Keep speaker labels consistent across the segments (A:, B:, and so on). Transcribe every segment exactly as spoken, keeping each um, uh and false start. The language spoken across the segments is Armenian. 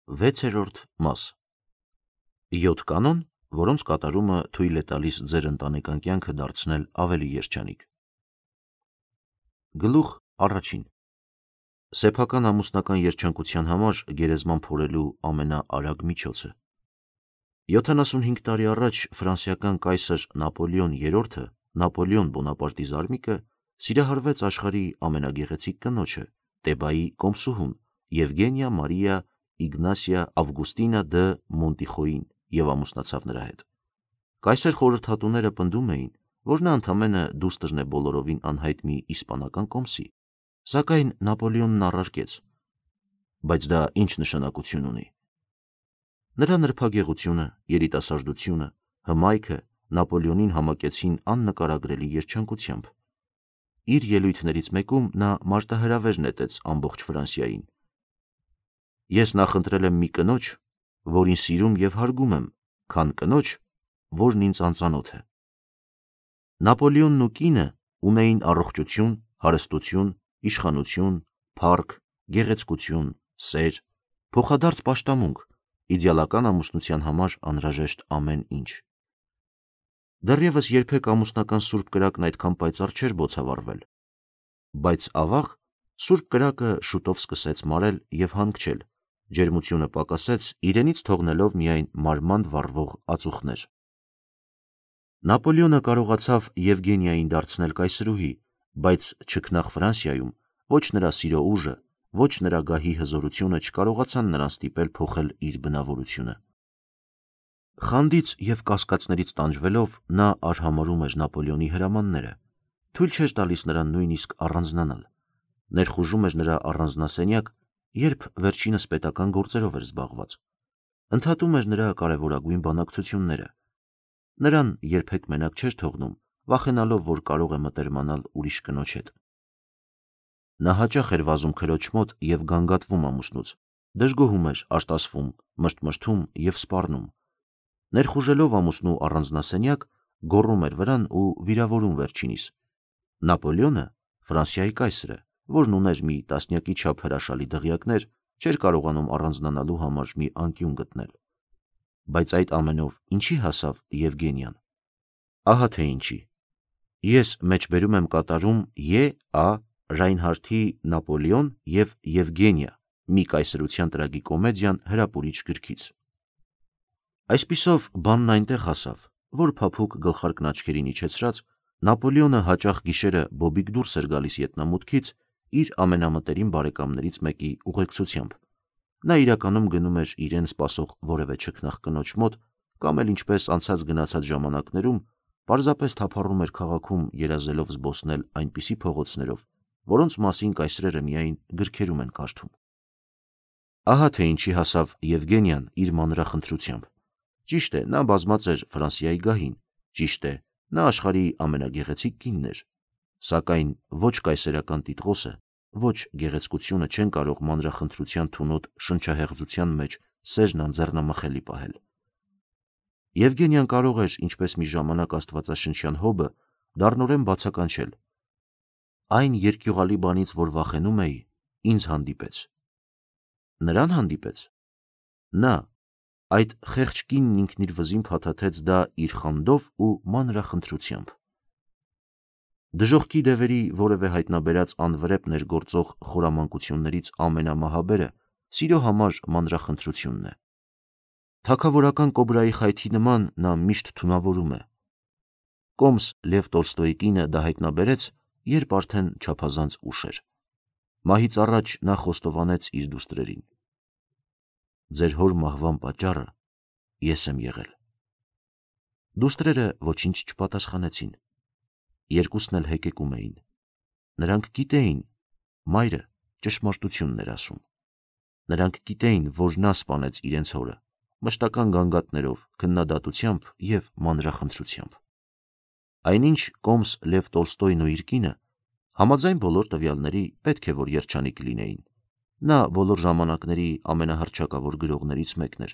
A: վեցերորդ մաս յոթ կանոն, որոնց կատարումը թույլ է տալիս ձեր ընտանեկան կյանքը դարձնել ավելի երջանիկ։ Գլուխ առաջին. Սեփական ամուսնական երջանկության համար գերեզման փորելու ամենաարագ միջոցը։ յոթանասունհինգ տարի առաջ ֆրանսիական կայսր Նապոլեոն երրորդը, Նապոլեոն Բոնապարտի զարմիկը, սիրահարվեց աշխարհի ամենագեղեցիկ կնոջը, Տեբայի կոմսուհուն, Եվգենիա Մարիա Իգնասիա Ավգուստինա դը Մոնտիխոյին և ամուսնացավ նրա հետ։ Կայսեր խորհրդատուները պնդում էին, որ նա ընդամենը դուստրն է բոլորովին անհայտ մի իսպանական կոմսի, սակայն Նապոլեոնն առարկեց. բայց դա ինչ նշանակություն ունի։ Նրա նրբագեղությունը, երիտասարդությունը, հմայքը Նապոլեոնին համակեցին աննկարագրելի երջանկությամբ։ Իր ելույթներից մեկում նա մարտահրավեր նետեց ամբողջ Ֆրանսիային. Ես նախընտրել եմ մի կնոջ, որին սիրում և հարգում եմ, քան կնոջ, որն ինձ անծանոթ է։ Նապոլեոնն ու կինը ունեին առողջություն, հարստություն, իշխանություն, փառք, գեղեցկություն, սեր, փոխադարձ պաշտամունք, իդեալական ամուսնության համար անհրաժեշտ ամեն ինչ։ Դեռևս երբեք ամուսնական սուրբ կրակն այդքան պայծառ չէր բոցավառվել, բայց ավաղ սուրբ կրակը շուտով սկսեց մարել և հանգչել, ջերմությունը պակասեց, իրենից թողնելով միայն մարմանդ վառվող ածուխներ։ Նապոլեոնը կարողացավ Եվգենիային դարձնել կայսրուհի, բայց չքնաղ Ֆրանսիայում ոչ նրա սիրո ուժը, ոչ նրա գահի հզորությունը չկարողացան նրան ստիպել փոխել իր բնավորությունը։ Խանդից և կասկածներից տանջվելով նա արհամարհում էր Նապոլեոնի հրամանները, թույլ չէր տալիս նրան նույնիսկ առանձնանալ, ներխուժում էր նրա առանձնասենյակ, երբ վերջինս պետական գործերով էր զբաղված, ընդհատում էր նրա կարևորագույն բանակցությունները, նրան երբեք մենակ չէր թողնում, վախենալով, որ կարող է մտերմանալ ուրիշ կնոջ հետ։ Նա հաճախ էր վազում քրոջ մոտ և գանգատվում ամուսնուց, դժգոհում էր, արտասվում, մրթմրթում և սպառնում։ Ներխուժելով ամուսնու առանձնասենյակ, գոռում էր վրան ու վիրավորում վերջինիս։ Նապոլեոնը, Ֆրանսիայի կայսրը, որն ուներ մի տասնյակի չափ հրաշալի դղյակներ, չէր կարողանում առանձնանալու համար մի անկյուն գտնել։ Բայց այդ ամենով ինչի հասավ Եվգենիան։ Ահա թե ինչի։ Ես մեջբերում եմ կատարում Ե. Ա. Ռայնհարդի «Նապոլեոն և Եվգենիա. մի կայսրության տրագիկոմեդիան» հրապուրիչ գրքից։ Այսպիսով բանն այնտեղ հասավ, որ փափուկ գլխարկն աչքերին իջեցրած, Նապոլեոնը հաճախ գիշերը բոբիկ դուրս էր գալիս ետնամուտքից իր ամենամտերիմ բարեկամներից մեկի ուղեկցությամբ։ Նա իրականում գնում էր իրեն սպասող որևէ չքնաղ կնոջ մոտ, կամ էլ ինչպես անցած գնացած ժամանակներում, պարզապես թափառում էր քաղաքում երազելով զբոսնել այնպիսի փողոցներով, որոնց մասին կայսրերը միայն գրքերում են կարդում։ Ահա թե ինչի հասավ Եվգենիան իր մանրախնդրությամբ։ Ճիշտ է, նա բազմած էր Ֆրանսիայի գահին, ճիշտ է, նա աշխարհի ամենագեղեցիկ կինն էր, սակայն ոչ կայսերական տիտղոսը, ոչ գեղեցկությունը չեն կարող մանրախնդրության թունոտ շնչահեղձության մեջ սերն անձեռնամխելի պահել։ Եվգենիան կարող էր, ինչպես մի ժամանակ աստվածաշնչյան Հոբը, դառնորեն բացականչել. այն երկյուղալի բանից, որ վախենում էի, ինձ հանդիպեց։ Նրան հանդիպեց։ Նա, այդ խեղճ կինն ինքն իր վզին փաթաթեց դա իր խանդով ու մանրախնդրությամբ։ Դժոխքի դևերի որևէ հայտնաբերած անվրեպ ներգործող խորամանկություններից ամենամահաբերը սիրո համար մանրախնդրությունն է։ Թագավորական կոբրայի խայթի նման նա միշտ թունավորում է։ Կոմս Լև Տոլստոյի կինը դա հայտնաբերեց, երբ արդեն չափազանց ուշ էր։ Մահից առաջ նա խոստովանեց իր դուստրերին. ձեր հոր մահվան պատճառը ես եմ եղել։ Դուստրերը ոչինչ չպատասխանեցին։ Երկուսն էլ հեկեկում էին։ Նրանք գիտեին, մայրը ճշմարտությունն էր ասում։ Նրանք գիտեին, որ նա սպանեց իրենց հորը, մշտական գանգատներով, քննադատությամբ և մանրախնդրությամբ։ Այնինչ կոմս Լև Տոլստոյն ու իր կինը համաձայն բոլոր տվյալների պետք է որ երջանիկ լինեին։ Նա բոլոր ժամանակների ամենահռչակավոր գրողներից մեկն էր։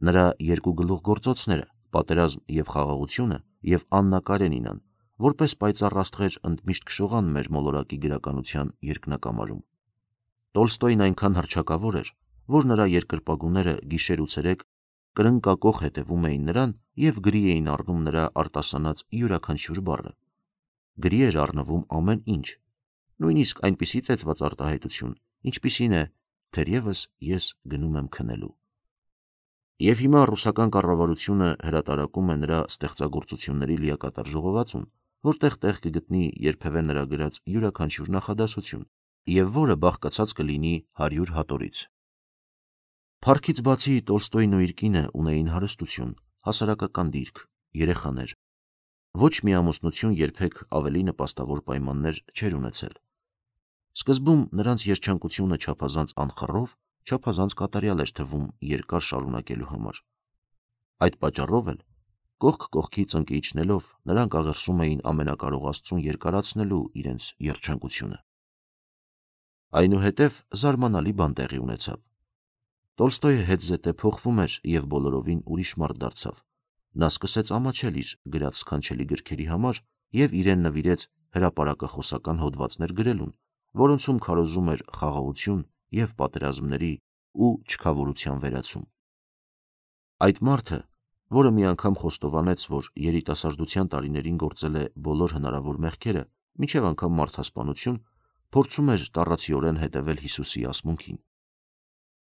A: Նրա երկու գլուխգործոցները՝ «Պատերազմ և խաղաղությունը» և «Աննա Կարենինան» որպես պայծառ աստղեր ընդմիշտ քշողան մեր մոլորակի գրականության երկնակամարում։ Տոլստոյն այնքան հռչակավոր էր, որ նրա երկրպագուները գիշեր ու ցերեկ կրնկակոխ հետևում էին նրան և գրի էին առնում նրա արտասանած յուրաքանչյուր բառը։ Գրի էր առնվում ամեն ինչ, նույնիսկ այնպիսի ծեծված արտահայտություն, ինչպիսին է, թերևս ես գնում եմ քնելու։ Եվ հիմա ռուսական կառավարությունը հրատարակում է նրա ստեղծագործությունների լիակատար ժողովածուն, որտեղ տեղ կգտնի երբևէ նրա գրած յուրաքանչյուր նախադասություն, և որը բաղկացած կլինի հարյուր հատորից։ Փառքից բացի Տոլստոյն ու իր կինը ունեին հարստություն, հասարակական դիրք, երեխաներ։ Ոչ մի ամուսնություն երբեք ավելի նպաստավոր պայմաններ չէր ունեցել։ Սկզբում նրանց երջանկությունը չափազանց անխռով, չափազանց կատարյալ էր թվում երկար շարունակելու համար։ Այդ պատճառով էլ, կողք կողքի ծնկի իջնելով, նրանք աղերսում էին ամենակարող Աստծուն երկարացնելու իրենց երջանկությունը։ Այնուհետև զարմանալի բան տեղի ունեցավ։ Տոլստոյը հետզհետե փոխվում էր և բոլորովին ուրիշ մարդ դարձավ։ Նա սկսեց ամաչել իր գրած սքանչելի գրքերի համար և իրեն նվիրեց հրապարակախոսական հոդվածներ գրելուն, որոնցում քարոզում էր խաղաղություն և պատերազմների ու չքավորության վերացում։ Այդ մարդը, որը մի անգամ խոստովանեց, որ երիտասարդության տարիներին գործել է բոլոր հնարավոր մեղքերը, մինչև անգամ մարդասպանություն, փորձում էր տառացիորեն հետևել Հիսուսի ասմունքին։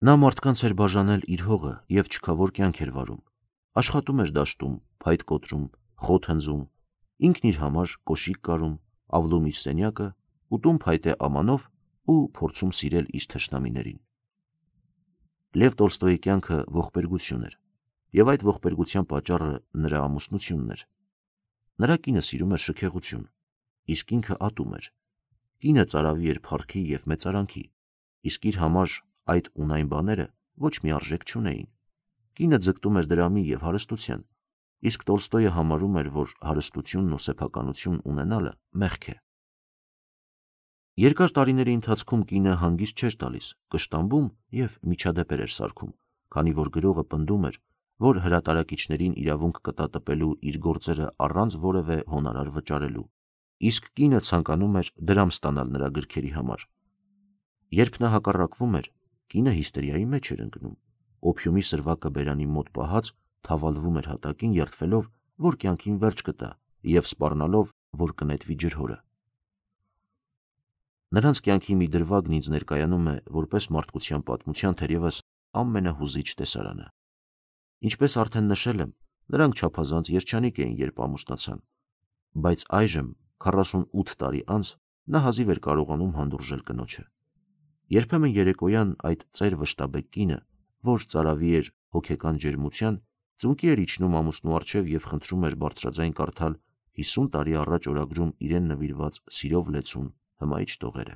A: Նա մարդկանց էր բաժանել իր հողը և չքավոր կյանք էր վարում, աշխատում էր դաշտում, փայտ կոտրում, խոտ հնձում, ինքն իր համար կոշիկ կարում, ավլում իր սենյակը, ուտում փայտե ամանով ու փորձում սիրել իր թշնամիներին։ Լև Տոլստոյի կյանքը ողբերգություն էր, և այդ ողբերգության պատճառը նրա ամուսնությունն էր։ Նրա կինը սիրում էր շքեղություն, իսկ ինքը ատում էր։ Կինը ծարավի էր փառքի և մեծարանքի, իսկ իր համար այդ ունայն բաները ոչ մի արժեք չունեին։ Կինը ձգտում էր դրամի և հարստության, իսկ Տոլստոյը համարում էր, որ հարստությունն ու սեփականություն ունենալը մեղք է։ Երկար տարիների ընթացքում կինը հանգիստ չէր տալիս, կշտամբում և միջադեպեր էր սարքում, քանի որ գրողը պնդում էր, որ հրատարակիչներին իրավունք կտա տպելու իր գործերը առանց որևէ հոնորար վճարելու, իսկ կինը ցանկանում էր դրամ ստանալ նրա գրքերի համար։ Երբ նա հակառակվում էր, կինը հիստերիայի մեջ էր ընկնում, օփիումի սրվակը բերանի մոտ պահած թավալվում էր հատակին, երդվելով, որ կյանքին վերջ կտա և սպառնալով, որ կնետվի ջրհորը։ Նրանց կյանքի մի դրվագն ինձ ներկայանում է որպես մարդկության պատմության թերևս ամենահուզիչ տեսարանը։ Ինչպես արդեն նշել եմ, նրանք չափազանց երջանիկ էին, երբ ամուսնացան, բայց այժմ, քառասունութ տարի անց, նա հազիվ էր կարողանում հանդուրժել կնոջը։ Երբեմն երեկոյան այդ ծեր վշտաբեկ կինը, որ ծարավի էր հոգեկան ջերմության, ծունկի էր իջնում ամուսնու առջև և խնդրում էր բարձրաձայն կարդալ հիսուն տարի առաջ օրագրում իրեն նվիրված Սիրով լեցուն հմայիչ տողերը։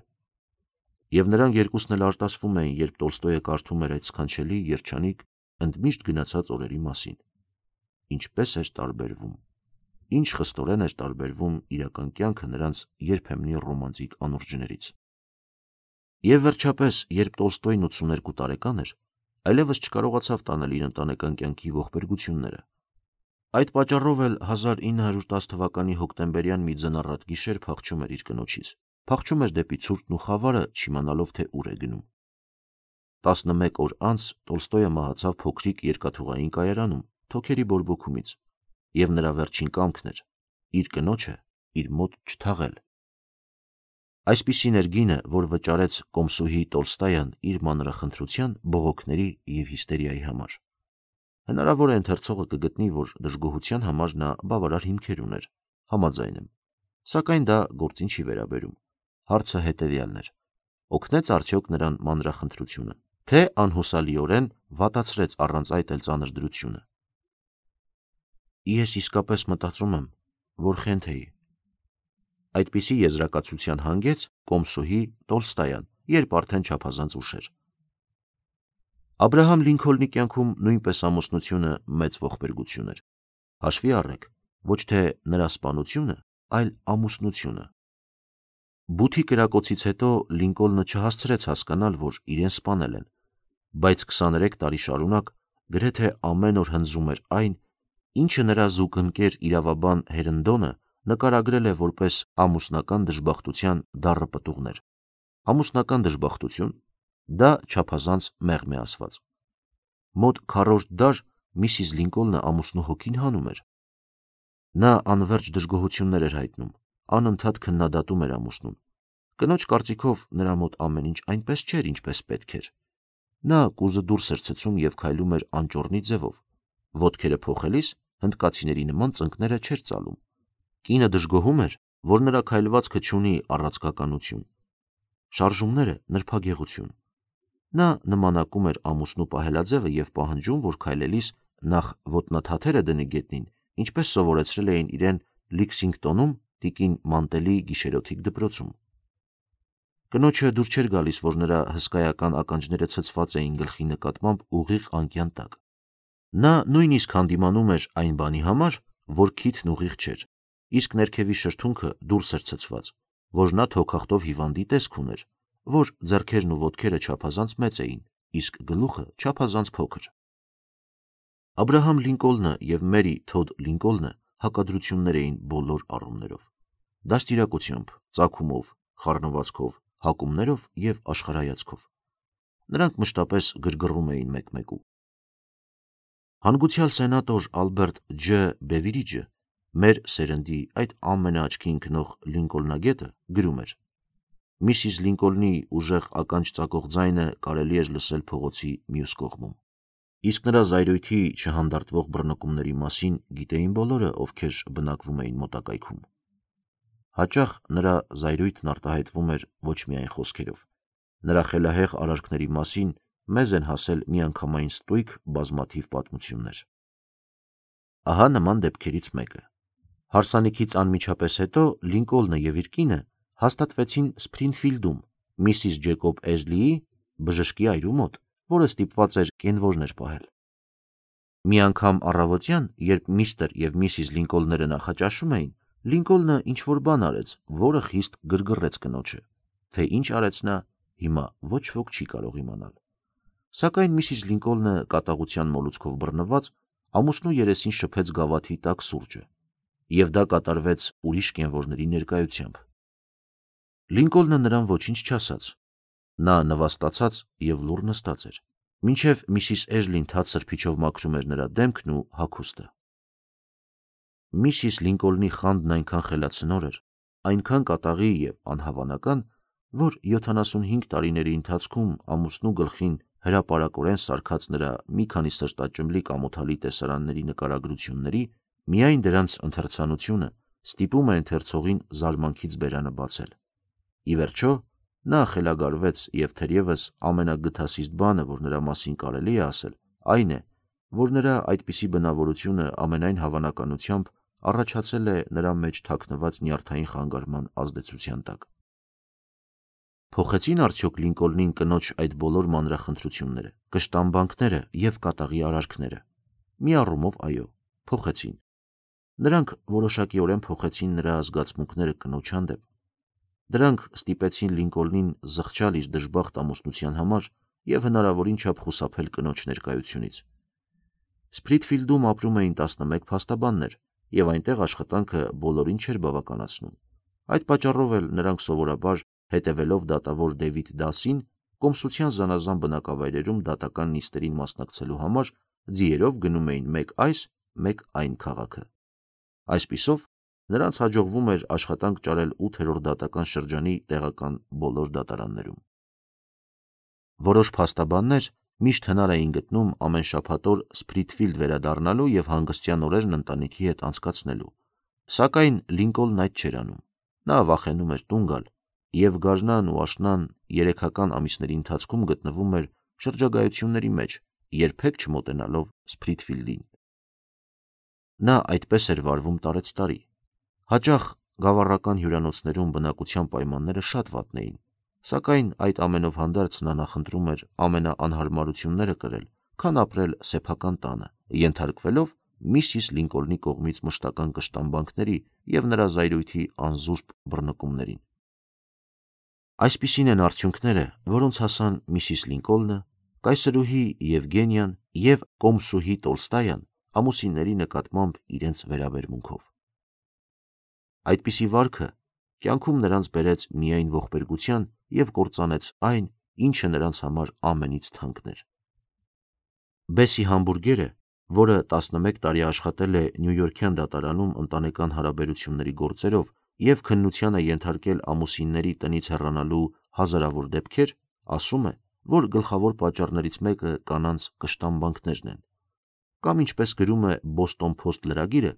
A: Եվ նրանք երկուսն էլ արտասվում էին, երբ Տոլստոյը կարդում էր այդ սքանչելի, երջանիկ, ընդմիշտ գնացած օրերի մասին։ Ինչպես էր տարբերվում, ինչ խստորեն էր տարբերվում իրական կյանքը նրանց երբեմնի ռոմանտիկ անուրջներից։ Եվ վերջապես, երբ Տոլստոյն ութսուներկու տարեկան էր, այլևս չկարողացավ տանել իր ընտանեկան կյանքի ողբերգությունները։ Այդ պատճառով էլ հազար ինը հարյուր տասը թվականի հոկտեմբերյան մի ձնառատ գիշեր փախչում էր իր կնոջից, փախչում էր դեպի ցուրտն ու խավարը, չիմանալով, թե ուր է գնում։ տասնմեկ օր անց Տոլստոյը մահացավ փոքրիկ երկաթուղային կայարանում, թոքերի բորբոքումից, և նրա վերջին կամքն էր իր կնոջը իր մոտ չթաղել։ Այսպիսին էր գինը, որ վճարեց կոմսուհի Տոլստոյան իր մանրախնդրության, բողոքների և հիստերիայի համար։ Հնարավոր է ընթերցողը կգտնի, որ դժգոհության համար նա բավարար հիմքեր ուներ, համաձայն եմ, սակայն դա գործին չի վերաբերում։ Հարցը հետևյալն էր. օգնեց արդյոք նրան մանրախնդրությունը, թե անհուսալիորեն վատացրեց առանց այդ էլ ծանր դրությունը։ Ես իսկապես մտածում եմ, որ խենթ էի։ Այդպիսի եզրակացության հանգեց կոմսուհի Տոլստոյան, երբ արդեն չափազանց ուշ էր։ Աբրահամ Լինքոլնի կյանքում նույնպես ամուսնությունը մեծ ողբերգություն էր։ Հաշվի առեք, ոչ թե նրա սպանությունը, այլ ամուսնությունը։ Բութի կրակոցից հետո Լինկոլնը չհասցրեց հասկանալ, որ իրեն սպանել են, բայց քսաներեք տարի շարունակ գրեթե ամեն օր հնձում էր այն, ինչը նրա զուգընկեր իրավաբան Հերնդոնը նկարագրել է որպես ամուսնական դժբախտության դառը պտուղներ։ Ամուսնական դժբախտություն, Դա չափազանց մեղմ է ասված։ Մոտ քառորդ դար Միսիս Լինկոլնը ամուսնու հոգին հանում էր։ Նա անվերջ դժգոհություններ էր հայտնում, անընդհատ քննադատում էր ամուսնուն։ Կնոջ կարծիքով նրա մոտ ամեն ինչ այնպես չէր, ինչպես պետք էր։ Նա կուզը դուրս էր ցցում և քայլում էր անճոռնի ձևով։ Ոտքերը փոխելիս հնդկացիների նման ծնկները չէր ծալում։ Կինը դժգոհում էր, որ նրա քայլվածքը չունի առաձգականություն։ Շարժումները նրբագեղություն։ Նա նմանակում էր ամուսնու պահելաձևը և պահանջում, որ քայլելիս նախ ոտնաթաթերը դնի գետնին, ինչպես սովորեցրել էին իրեն Լեքսինգտոնում տիկին Մանտելի գիշերօթիկ դպրոցում։ Կնոջը դուր չէր գալիս, որ նրա հսկայական ականջները ցցված էին գլխի նկատմամբ ուղիղ անկյան տակ։ Նա նույնիսկ հանդիմանում էր այն բանի համար, որ քիթն ուղիղ չէր, իսկ ներքևի շրթունքը դուրս էր ցցված, որ նա թոքախտով հիվանդի տեսք ուներ, որ ձեռքերն ու ոտքերը չափազանց մեծ էին, իսկ գլուխը չափազանց փոքր։ Աբրահամ Լինկոլնը և Մերի Թոդ Լինկոլնը հակադրություններ էին բոլոր առումներով՝ դաստիարակությամբ, ծագումով, խառնվածքով, հակումներով և աշխարհայացքով։ Նրանք մշտապես գրգռում էին մեկմեկու։ Հանգուցյալ սենատոր Ալբերտ Ջ. Բևիրիջը, մեր սերնդի այդ ամենաաչքի ընկնող Լինկոլնագետը, գրում էր. Միսիս Լինկոլնի ուժեղ ականջ ծակող ձայնը կարելի էր լսել փողոցի մյուս կողմում։ Իսկ նրա զայրույթի չհանդարտվող բռնկումների մասին գիտեին բոլորը, ովքեր բնակվում էին մոտակայքում։ Հաճախ նրա զայրույթն արտահայտվում էր ոչ միայն խոսքերով։ Նրա խելահեղ արարքների մասին մեզ են հասել միանգամայն ստույգ բազմաթիվ պատմություններ։ Ահա նման դեպքերից մեկը։ Հարսանիքից անմիջապես հետո Լինկոլնը և իր կինը հաստատվեցին Սփրինֆիլդում միսիս Ջեկոբ Էժլիի բժշկի այրու մոտ, որը ստիպված էր կենվորներ պահել։ Մի անգամ առավոտյան, երբ միստր և միսիս Լինկոլները նախաճաշում էին, Լինկոլնը ինչ-որ բան արեց, որը խիստ գրգռեց կնոջը, թե ինչ արեց նա, հիմա ոչ ոք չի կարող իմանալ։ Սակայն միսիս Լինկոլնը կատաղության մոլուցքով բռնված, ամուսնու երեսին շփեց գավաթի տաք սուրճը, և դա կատարվեց ուրիշ կենվորների ներկայությամբ։ Լինկոլնը նրան ոչինչ չասաց։ Նա նվաստացած և լուռ նստած էր, մինչև միսիս Էժլին թաց սրբիչով մաքրում էր նրա դեմքն ու հագուստը։ Միսիս Լինկոլնի խանդն այնքան խելացնոր էր, այնքան կատաղի և անհավանական, որ յոթանասունհինգ տարիների ընթացքում ամուսնու գլխին հրապարակորեն սարքած նրա մի քանի սրտաճմլիկ ամոթալի տեսարանների նկարագրությունների միայն դրանց ընթերցանությունը ստիպում է ընթերցողին զարմանքից բերանը բացել։ Ի վերջո, նա խելագարվեց և թերևս ամենագթասիստ բանը, որ նրա մասին կարելի է ասել, այն է, որ նրա այդպիսի բնավորությունը ամենայն հավանականությամբ առաջացել է նրա մեջ թաքնված նյարդային խանգարման ազդեցության տակ։ Փոխեցի՞ն արդյոք Լինկոլնին կնոջ այդ բոլոր մանրախնդրությունները, կշտամբանքները և կատաղի արարքները։ Մի առումով այո, փոխեցին։ Նրանք որոշակիորեն փոխեցին նրա զգացմունքները կնոջ հանդեպ։ Դրանք ստիպեցին Լինկոլնին զղջալ իր դժբախտ ամուսնության համար և հնարավորին չափ խուսափել կնոջ ներկայությունից։ Սփրիթֆիլդում ապրում էին տասնմեկ փաստաբաններ, և այնտեղ աշխատանքը բոլորին չէր բավականացնում։ Այդ պատճառով էլ նրանք սովորաբար, հետևելով դատավոր Դեվիդ Դասին, կոմսության զանազան բնակավայրերում դատական նիստերին մասնակցելու համար ձիերով գնում էին մեկ այս, մեկ այն քաղաքը։ Այսպիսով, նրանց հաջողվում էր աշխատանք ճարել ութերորդ դատական շրջանի տեղական բոլոր դատարաններում։ Որոշ փաստաբաններ միշտ հնար էին գտնում ամեն շաբաթօր Սփրիթֆիլդ վերադառնալու և հանգստյան օրերն ընտանիքի հետ անցկացնելու, սակայն Լինկոլնն այդ չէր անում։ Նա վախենում էր տուն գալ և գարնան ու աշնան երեքական ամիսների ընթացքում գտնվում էր շրջագայությունների մեջ, երբեք չմոտենալով Սփրիթֆիլդին։ Նա այդպես էր վարվում տարեցտարի։ Հաճախ գավառական հյուրանոցներում բնակության պայմանները շատ վատն էին, սակայն այդ ամենով հանդերձ նա նախընտրում էր ամենաանհարմարությունները կրել, քան ապրել սեփական տանը, ենթարկվելով միսիս Լինկոլնի կողմից մշտական կշտամբանքների և նրա զայրույթի անզուսպ բռնկումներին։ Այսպիսին են արդյունքները, որոնց հասան միսիս Լինկոլնը, կայսրուհի Եվգենիան և կոմսուհի Տոլստայան ամուսինների նկատմամբ իրենց վերաբերմունքով։ Այդպիսի վարքը կյանքում նրանց բերեց միայն ողբերգության և կործանեց այն, ինչը նրանց համար ամենից թանկն էր։ Բեսի համբուրգերը, որը տասնմեկ տարի աշխատել է Նյույորքյան դատարանում ընտանեկան հարաբերությունների գործերով և քննության է ենթարկել ամուսինների տնից հեռանալու հազարավոր դեպքեր, ասում է, որ գլխավոր պատճառներից մեկը կանանց կշտամբանքներն են։ Կամ ինչպես գրում է Boston Post լրագիրը,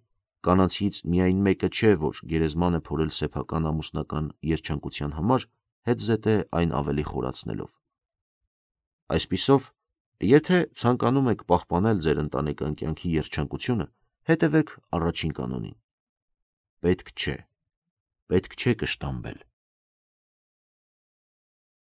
A: կանանցից միայն մեկը չէ, որ գերեզման է փորել սեփական ամուսնական երջանկության համար, հետզհետե այն ավելի խորացնելով։ Այսպիսով, եթե ցանկանում եք պահպանել ձեր ընտանեկան կյանքի երջանկությունը, հետևեք առաջին կանոնին. պետք չէ, պետք չէ կշտամբել։